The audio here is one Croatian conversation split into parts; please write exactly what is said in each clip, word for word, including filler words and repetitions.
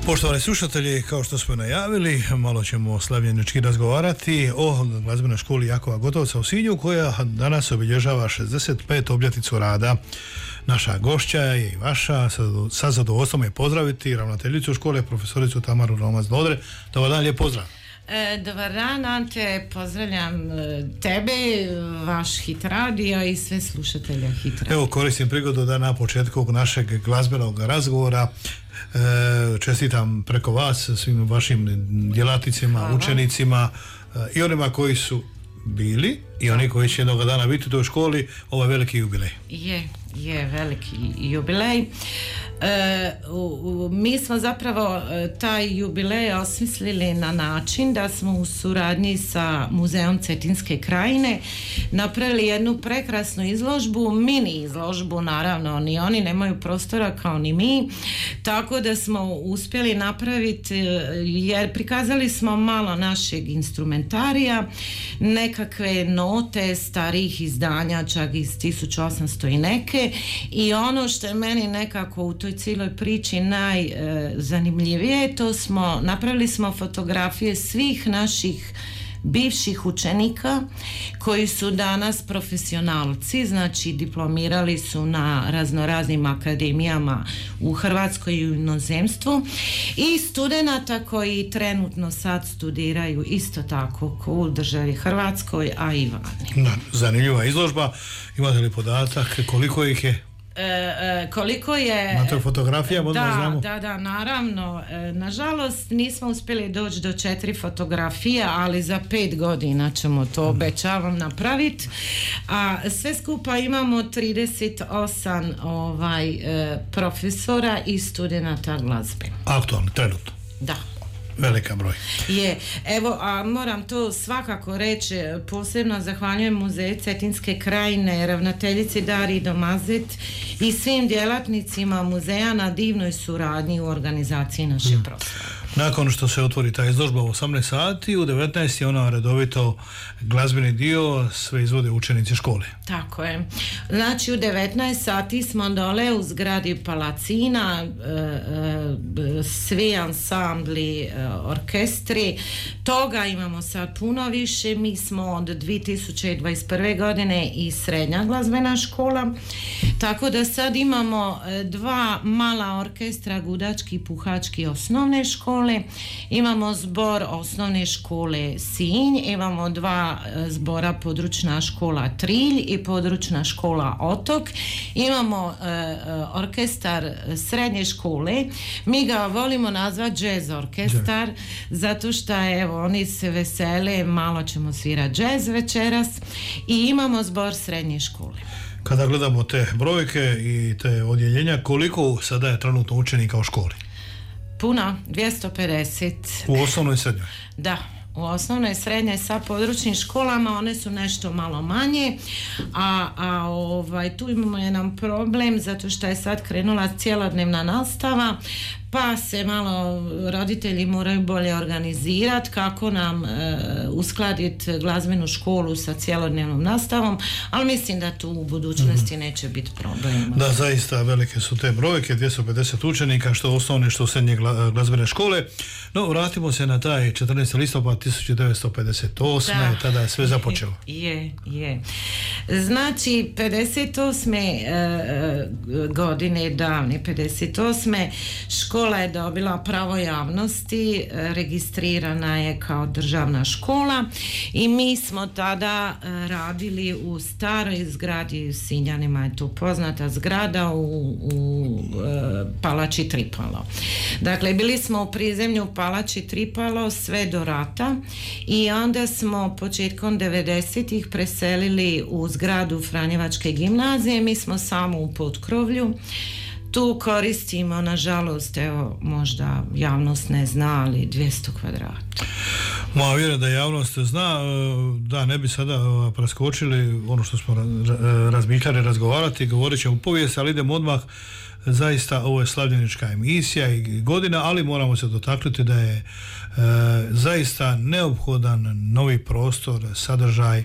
Poštovani slušatelji, kao što smo najavili, malo ćemo slavljenički razgovarati o glazbenoj školi Jakova Gotovca u Sinju, koja danas obilježava šezdeset petu obljetnicu rada. Naša gošća je i vaša, sa zadovoljstvom je pozdraviti ravnateljicu škole, profesoricu Tamaru Romac-Dodre. Dobar dan, lijep pozdrav. E, dobar dan, Ante, pozdravljam tebe, vaš Hit Radio i sve slušatelje Hit Radio. Evo, koristim prigodu da na početku našeg glazbenog razgovora e, čestitam preko vas svim vašim djelatnicima, Hvala. učenicima e, i onima koji su bili i oni koji će jednog dana biti u toj školi, ovaj veliki jubilej. Je, je veliki jubilej. E, u, u, mi smo zapravo taj jubilej osmislili na način da smo u suradnji sa Muzejom Cetinske krajine napravili jednu prekrasnu izložbu, mini izložbu, naravno ni oni nemaju prostora kao ni mi, tako da smo uspjeli napraviti, jer prikazali smo malo našeg instrumentarija, nekakve note starih izdanja, čak iz tisuću osamsto i neke, i ono što je meni nekako u toj cijeloj priči najzanimljivije, to smo napravili smo fotografije svih naših bivših učenika koji su danas profesionalci, znači diplomirali su na raznoraznim akademijama u Hrvatskoj i u inozemstvu, i studenata koji trenutno sad studiraju isto tako u državi Hrvatskoj, a i vani. Zanimljiva izložba. Imate li podatak koliko ih je? E, e, koliko je na toj fotografijama, da, znamo. da, da, naravno, e, nažalost nismo uspjeli doći do četiri fotografije, ali za pet godina ćemo to, obećavam, napraviti, a sve skupa imamo trideset osam ovaj, e, profesora i studenata glazbe. Aktualni, trenutno. Da. Velika broj. Je, evo, a moram to svakako reći, posebno zahvaljujem Muzeju Cetinske krajine, ravnateljici Dariji Domazet i svim djelatnicima muzeja na divnoj suradnji u organizaciji naše proslave. Nakon što se otvori ta izložba u osamnaest sati, u devetnaest je ona redovito glazbeni dio, sve izvode učenici škole. Tako je. Znači u devetnaest sati smo dole u zgradi Palacina, e, e, svi ansambli, e, orkestri, toga imamo sad puno više. Mi smo od dvije tisuće dvadeset prve. godine i srednja glazbena škola, tako da sad imamo dva mala orkestra, gudački i puhački osnovne škole. Imamo zbor osnovne škole Sinj, imamo dva zbora, područna škola Trilj i područna škola Otok, imamo e, orkestar srednje škole, mi ga volimo nazvati jazz orkestar, zato što evo, oni se vesele, malo ćemo svirati jazz večeras, i imamo zbor srednje škole. Kada gledamo te brojke i te odjeljenja, koliko sada je trenutno učenika u školi? Puno, dvjesto pedeset. U osnovnoj i srednjoj? Da, u osnovnoj i srednjoj sa područnim školama, one su nešto malo manje, a, a ovaj, tu imamo jedan problem zato što je sad krenula cjelodnevna nastava, pa se malo roditelji moraju bolje organizirati kako nam e, uskladiti glazbenu školu sa cjelodnevnom nastavom, ali mislim da tu u budućnosti mm-hmm. neće biti problema. Da, zaista velike su te brojke, dvjesto pedeset učenika, što osnovne, što srednje glazbene škole. No, vratimo se na taj četrnaesti listopad tisuću devetsto pedeset osme. Da, tada je sve započelo. Je, je. Znači, pedeset osme e, godine, davne pedeset osme škola je dobila pravo javnosti, registrirana je kao državna škola, i mi smo tada radili u staroj zgradi, Sinjanima je tu poznata zgrada, u, u e, Palači Tripalo. Dakle, bili smo u prizemlju Palači Tripalo sve do rata, i onda smo početkom devedesetih preselili u zgradu Franjevačke gimnazije. Mi smo samo u potkrovlju. Tu koristimo, nažalost, evo, možda javnost ne zna, ali dvjesto kvadrata. Ma, vjerujem da javnost zna, da ne bi sada preskočili ono što smo razmišljali, razgovarati, govorit ćemo u povijest, ali idemo odmah. Zaista ovo je slavljenička emisija i godina, ali moramo se dotaknuti da je e, zaista neophodan novi prostor, sadržaj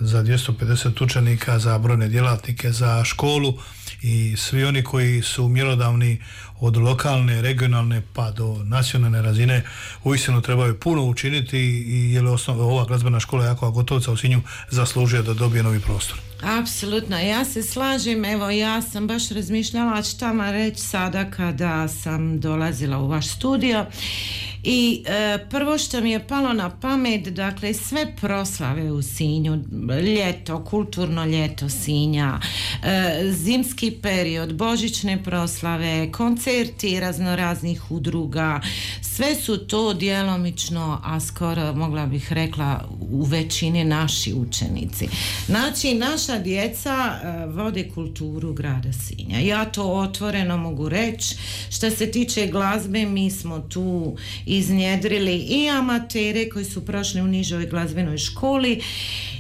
za dvjesto pedeset učenika, za brojne djelatnike, za školu i svi oni koji su mjerodavni od lokalne, regionalne pa do nacionalne razine uistinu trebaju puno učiniti i je li osnovna ova glazbena škola Jakova Gotovca u Sinju zaslužuje da dobije novi prostor. Apsolutno, ja se slažem, evo ja sam baš razmišljala šta vam reći sada kada sam dolazila u vaš studio i e, prvo što mi je palo na pamet, dakle sve proslave u Sinju, ljeto, kulturno ljeto Sinja, e, zimski period, božićne proslave, koncerti raznoraznih udruga, sve su to djelomično, a skoro mogla bih rekla u većini naši učenici. Znači naša djeca uh, vode kulturu grada Sinja. Ja to otvoreno mogu reći. Što se tiče glazbe, mi smo tu iznjedrili i amatere koji su prošli u nižoj glazbenoj školi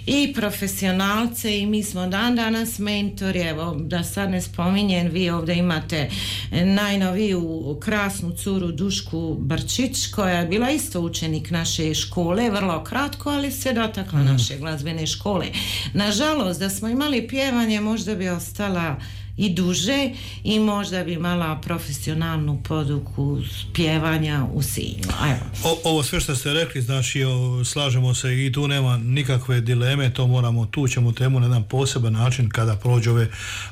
i profesionalce i mi smo dan danas mentori. Evo, da sad ne spominjem, vi ovdje imate najnoviju krasnu curu Dušku Brčić koja je bila isto učenik naše škole, vrlo kratko, ali se dotakla mm. naše glazbene škole. Nažalost, da smo imali pjevanje, možda bi ostala i duže i možda bi imala profesionalnu poduku pjevanja u Sinju. O, ovo sve što ste rekli, znači o, slažemo se i tu nema nikakve dileme, to moramo, tu ćemo temu na jedan poseban način kada prođe ove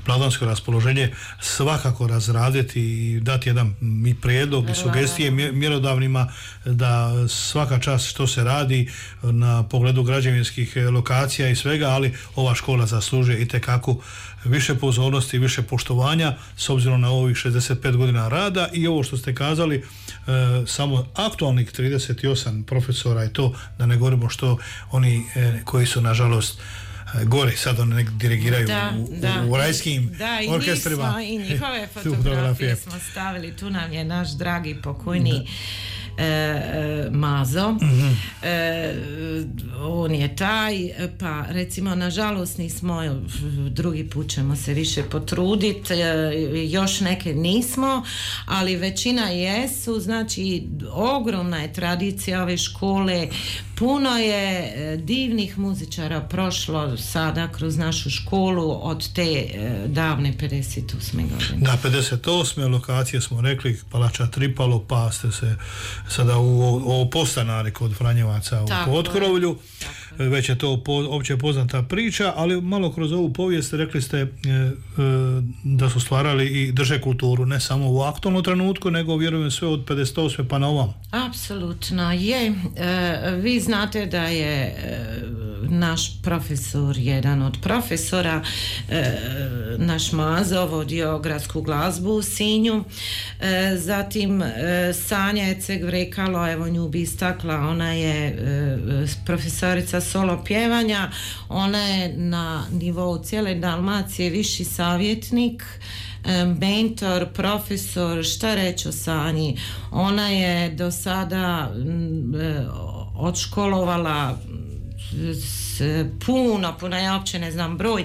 blagdansko raspoloženje svakako razraditi i dati jedan i prijedlog i sugestije mjerodavnima da svaka čast što se radi na pogledu građevinskih lokacija i svega, ali ova škola zaslužuje itekako više pozornosti, više poštovanja s obzirom na ovih šezdeset pet godina rada i ovo što ste kazali, e, samo aktualnih trideset osam profesora i to, da ne govorimo što oni e, koji su nažalost gore sad oni nek dirigiraju da, u, da. u rajskim da, i orkestrima. Da, i njihove fotografije smo stavili, tu nam je naš dragi pokojni da. E, Mazo mm-hmm. e, on je taj, pa recimo nažalost nismo, drugi put ćemo se više potruditi, e, još neke nismo, ali većina jesu, znači ogromna je tradicija ove škole, puno je divnih muzičara prošlo sada kroz našu školu od te e, davne pedeset osme godine. Da, pedeset osme lokacije smo rekli, Palača Tripalo, pa ste se sada u ovo postanari kod Franjevaca u Potkrovlju, već je to po, opće poznata priča, ali malo kroz ovu povijest rekli ste e, e, da su stvarali i drže kulturu, ne samo u aktualnom trenutku, nego vjerujem sve od pedeset osme pa na ovam. Apsolutno je. E, vi znate da je e, naš profesor, jedan od profesora, e, naš Mazo vodio gradsku glazbu u Sinju, e, zatim e, Sanja Eceg Vrekalo, evo nju bi istakla, ona je e, profesorica solo pjevanja, ona je na nivou cijele Dalmacije viši savjetnik, mentor, profesor, šta reći o Sanji. Ona je do sada odškolovala puno, puno, ja uopće ne znam broj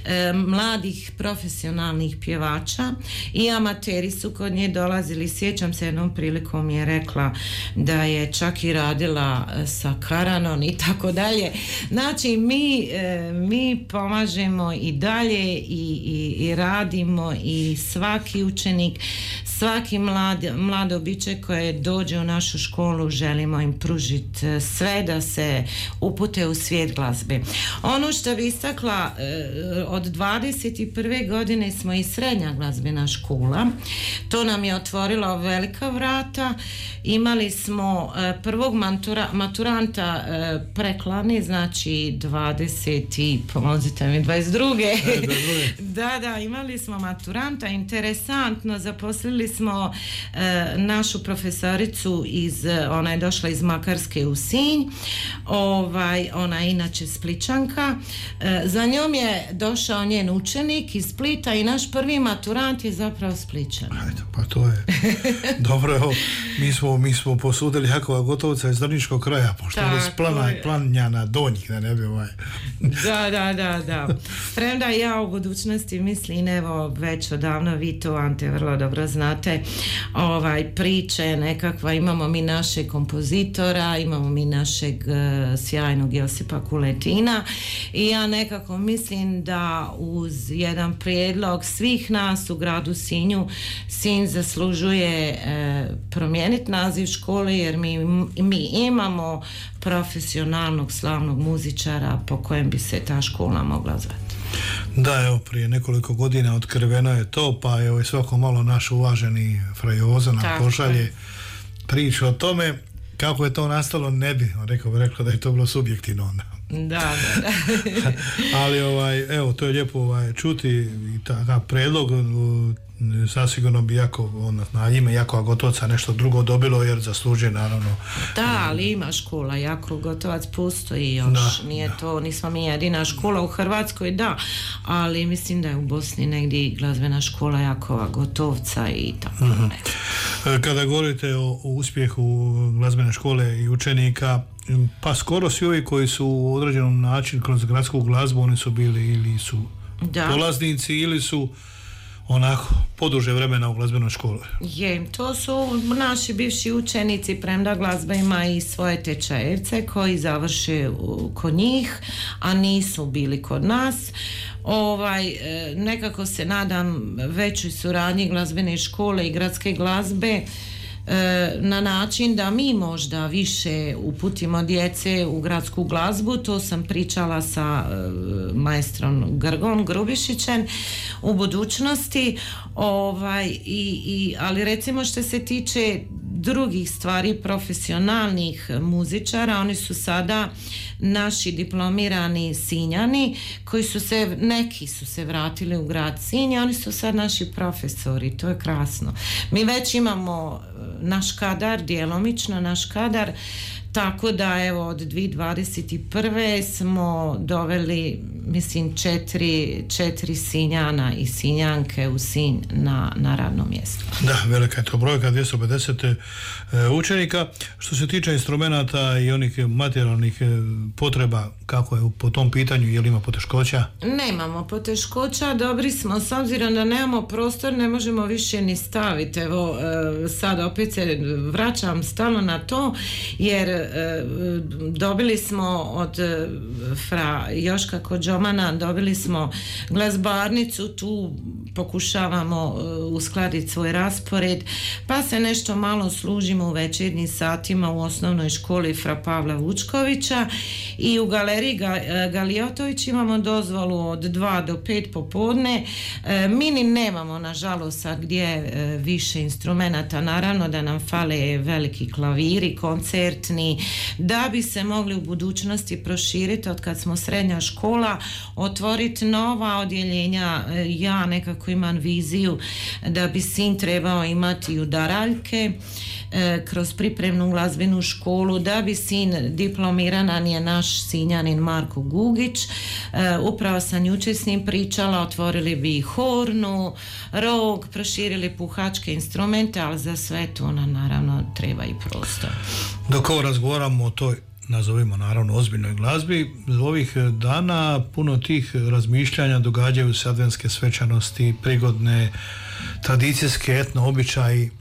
e, mladih profesionalnih pjevača i amateri su kod nje dolazili. Sjećam se, jednom prilikom je rekla da je čak i radila sa Karanon i tako dalje. Znači mi, e, mi pomažemo i dalje i, i, i radimo i svaki učenik, svaki mlad, mlado biće koje dođe u našu školu želimo im pružiti sve da se upute u svijet glazbe. Ono što bi istakla, od dvadeset prve godine smo i srednja glazbena škola. To nam je otvorilo velika vrata. Imali smo prvog matura, maturanta preklani, znači dvadeset i pomozite mi dvadeset druge da, da, imali smo maturanta. Interesantno, zaposlili smo našu profesoricu iz, ona je došla iz Makarske u Sinj, ovaj, ona je inače Spličanka. E, za njom je došao njen učenik iz Splita i naš prvi maturant je zapravo Spličan. Ajde, pa to je dobro, evo, mi smo, mi smo posudili Jakova Gotovca iz Drniškog kraja, pošto je iz plana, Planjana Donjih, da ne bi ovaj. Da, da, da, da. Premda ja u budućnosti mislim, evo, već odavno vi to, Ante, vrlo dobro znate, znate, ovaj, priče nekakva, imamo mi našeg kompozitora, imamo mi našeg uh, sjajnog Josipa Kuletina i ja nekako mislim da uz jedan prijedlog svih nas u gradu Sinju, Sinj zaslužuje uh, promijeniti naziv škole jer mi, mi imamo profesionalnog slavnog muzičara po kojem bi se ta škola mogla zvati. Da, evo, prije nekoliko godina otkriveno je to, pa evo i svako malo naš uvaženi Frajoza nam Tako pošalje je. priču o tome kako je to nastalo, ne bi rekao, bi rekao da je to bilo subjektivno onda. Da, da, da. Ali ovaj, evo, to je lijepo ovaj, čuti i takav predlog. Zasigurno bi jako, on, na ime Jakova Gotovca nešto drugo dobilo jer zaslužuje naravno. Da, ali ima škola, Jakov Gotovac postoji još, Da, nije da. to, nismo mi jedina škola u Hrvatskoj, da, ali mislim da je u Bosni negdje glazbena škola Jakova Gotovca i tako. Uh-huh. Kada govorite o, o uspjehu glazbene škole i učenika, pa skoro svi ovi koji su u određenom načinu kroz gradsku glazbu, oni su bili ili su Da. polaznici ili su onako poduže vremena u glazbenoj školi. Je, to su naši bivši učenici, premda glazba ima i svoje tečajevce koji završe u- kod njih, a nisu bili kod nas. Ovaj, e, nekako se nadam većoj suradnji glazbene škole i gradske glazbe e, na način da mi možda više uputimo djece u gradsku glazbu. To sam pričala sa e, maestrom Grgom Grubišićem u budućnosti, ovaj, i, i, ali recimo što se tiče drugih stvari, profesionalnih muzičara, oni su sada naši diplomirani Sinjani koji su se, neki su se vratili u grad Sinj, oni su sad naši profesori, to je krasno. Mi već imamo e, naš kadar, djelomično naš kadar, tako da evo od dvije tisuće dvadeset prve smo doveli, mislim, četiri, četiri Sinjana i Sinjanke u Sinj na, na radno mjesto. Da, velika je to brojka, dvjesto pedeset e, učenika. Što se tiče instrumenata i onih materijalnih e, potreba, kako je po tom pitanju, je li ima poteškoća? Nemamo poteškoća, dobri smo, s obzirom da nemamo prostor, ne možemo više ni staviti. Evo, e, sad opet se vraćam stalno na to, jer e, dobili smo od e, fra Joška Kođomana, dobili smo glazbarnicu, tu pokušavamo e, uskladiti svoj raspored, pa se nešto malo služimo u večernjim satima u osnovnoj školi Fra Pavla Vučkovića i u galeriji Ga- Galiotović imamo dozvolu od dva do pet popodne. E, mi ni nemamo nažalost sad gdje e, više instrumenata, naravno da nam fale veliki klaviri, koncertni, da bi se mogli u budućnosti proširiti od kad smo srednja škola, otvoriti nova odjeljenja. E, ja nekako imam viziju da bi Sinj trebao imati udaraljke e, kroz pripremnu glazbenu školu, da bi sin diplomiran je naš Sinjanin Marko Gugić. E, upravo sam jučer s njim pričala, otvorili bi hornu, rog, proširili puhačke instrumente, ali za sve to nam naravno treba i prostor. Dok ovo razgovaramo o toj, nazovimo naravno, ozbiljnoj glazbi, ovih dana puno tih razmišljanja, događaju se adventske svečanosti, prigodne, tradicijske etno običaji.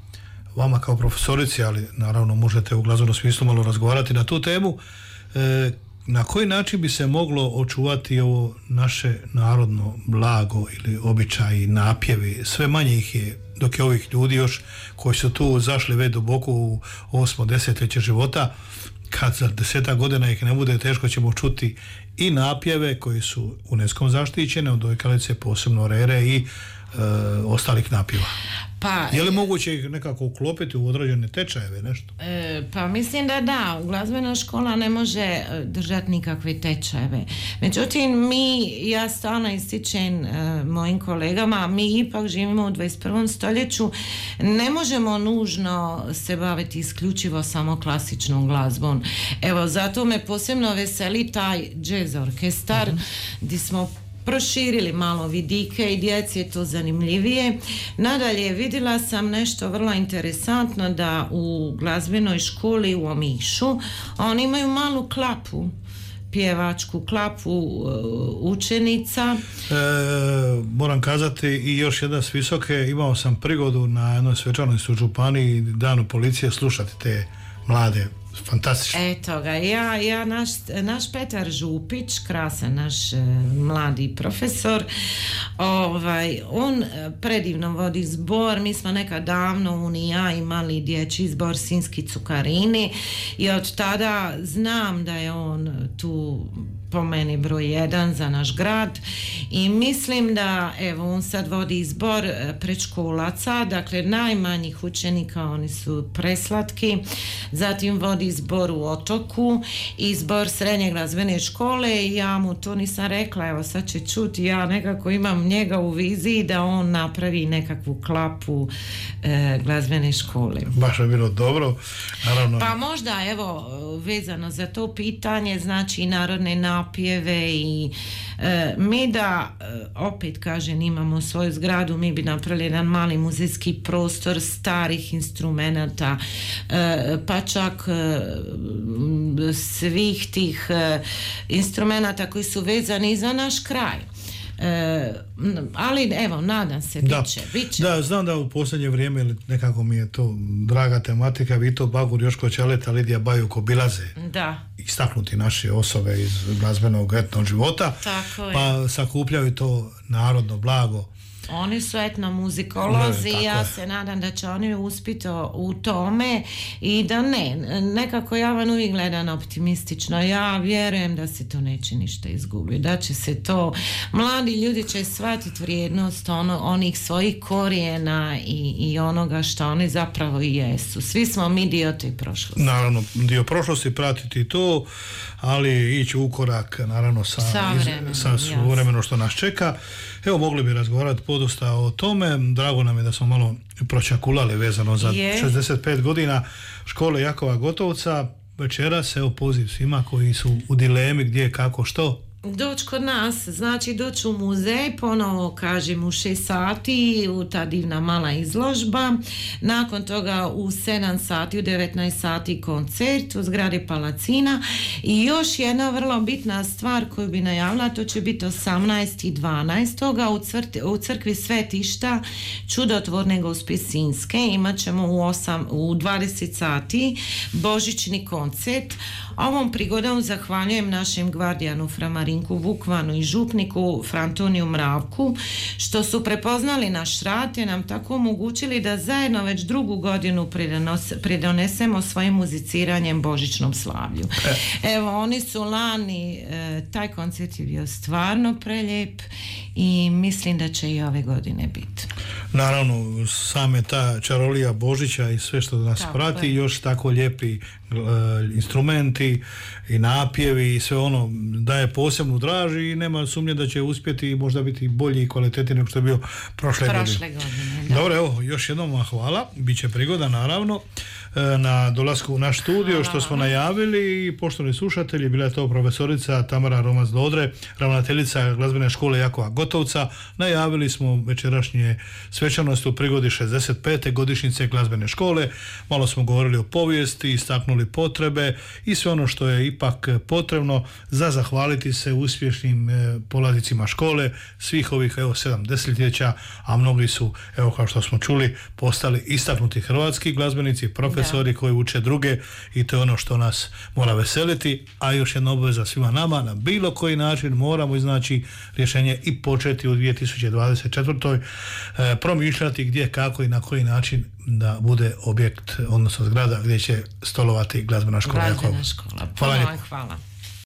Vama kao profesorici, ali naravno možete u glazbenom smislu malo razgovarati na tu temu. E, na koji način bi se moglo očuvati ovo naše narodno blago ili običaji, napjevi? Sve manje ih je, dok je ovih ljudi još koji su tu zašli već duboko u osmo desetljeće života. Kad za desetak godina ih ne bude, teško ćemo čuti i napjeve koji su UNESCO zaštićene, od dojkalice, posebno rere i e, ostalih napjeva. Pa, Je li moguće ih nekako uklopiti u određene tečajeve, nešto? E, pa mislim da da, glazbena škola ne može e, držati nikakve tečajeve. Međutim, mi, ja stalno ističem e, mojim kolegama, mi ipak živimo u dvadeset prvom stoljeću, ne možemo nužno se baviti isključivo samo klasičnom glazbom. Evo, zato me posebno veseli taj jazz orkestar, uh-huh. gdje smo proširili malo vidike i djeci je to zanimljivije. Nadalje, vidjela sam nešto vrlo interesantno, da u glazbenoj školi u Omišu oni imaju malu klapu pjevačku klapu učenica. E, moram kazati i još jedna s Visoke, imao sam prigodu na jednoj svečanosti u županiji Danu policije slušati te mlade, fantastično. Eto ga, ja, ja naš, naš Petar Župić, krasan naš e, mladi profesor, ovaj, on predivno vodi zbor. Mi smo nekad davno on i ja imali dječji zbor Sinjski cukarini i od tada znam da je on tu po meni broj jedan za naš grad i mislim da evo on sad vodi zbor predškolaca, dakle najmanjih učenika, oni su preslatki, zatim vodi zbor u Otoku i zbor srednje glazbene škole i ja mu to nisam rekla, evo sad će čuti, ja nekako imam njega u viziji da on napravi nekakvu klapu e, glazbene škole. Baš je bilo dobro, naravno. Pa možda evo vezano za to pitanje, znači narodne napjeve i e, mi da e, opet kažem imamo svoju zgradu, mi bi napravili jedan mali muzejski prostor starih instrumenata, e, pa čak e, svih tih e, instrumenata koji su vezani za naš kraj. E, ali evo, nadam se, da. bit će, bit će. Da, znam da u posljednje vrijeme nekako mi je to draga tematika, Vito Bagur, Joško Ćaleta, Lidija Bajuk obilaze da. istaknuti naše osobe iz glazbenog etnog života, tako je. Pa sakupljaju to narodno blago. Oni su etnomuzikolozi i ja je. se nadam da će oni uspjeti u tome i da ne, nekako ja vam uvijek gledam optimistično, ja vjerujem da se to neće ništa izgubiti, da će se to, mladi ljudi će shvatiti vrijednost ono, onih svojih korijena i, i onoga što oni zapravo i jesu. Svi smo mi dio te prošlosti. Naravno, dio prošlosti, pratiti to, ali ići u korak naravno sa, iz, sa vremeno što nas čeka. Evo, mogli bi razgovarati podosta o tome. Drago nam je da smo malo pročakulali vezano za je. šezdeset pet godina škole Jakova Gotovca. Večeras, evo, poziv svima koji su u dilemi gdje, kako, što. Doći kod nas, znači doći u muzej, ponovo kažem u šest sati, u ta divna mala izložba, nakon toga u sedam sati, u devetnaest sati koncert u zgradi Palacina i još jedna vrlo bitna stvar koju bi najavila, to će biti osamnaestog dvanaestog u, cvrti, u crkvi Svetišta Čudotvorne Gospe Sinjske, imat ćemo u, osam, u dvadeset sati božićni koncert. Ovom prigodom zahvaljujem našem gvardijanu Framarinku Vukvanu i župniku Frantoniju Mravku što su prepoznali naš rad i nam tako omogućili da zajedno već drugu godinu pridonesemo svojim muziciranjem božićnom slavlju. Evo, oni su lani, e, taj koncert je bio stvarno prelijep i mislim da će i ove godine biti. Naravno, same ta čarolija Božića i sve što nas tako prati, je. Još tako lijepi uh, instrumenti i napjevi i sve ono daje posebnu draž i nema sumnje da će uspjeti i možda biti bolji i kvalitetniji nego što je bio prošle, prošle godine. godine Dobro, evo, još jednom hvala, bit će prigoda naravno na dolasku u naš studio što smo najavili i poštovani slušatelji, bila je to profesorica Tamara Romac-Dodre, ravnateljica glazbene škole Jakova Gotovca. Najavili smo večerašnje svečanosti u prigodi šezdeset pete godišnjice glazbene škole, malo smo govorili o povijesti, istaknuli potrebe i sve ono što je ipak potrebno za zahvaliti se uspješnim polaznicima škole svih ovih evo sedam desetljeća, a mnogi su, evo kao što smo čuli, postali istaknuti hrvatski glazbenici, profesori da. Koji uče druge i to je ono što nas mora veseliti, a još jedna obveza svima nama, na bilo koji način moramo iznaći rješenje i početi u dvije tisuće dvadeset četvrtoj e, promišljati gdje, kako i na koji način da bude objekt, odnosno zgrada gdje će stolovati glazbena škola. Glazbena škola. Hvala. Hvala.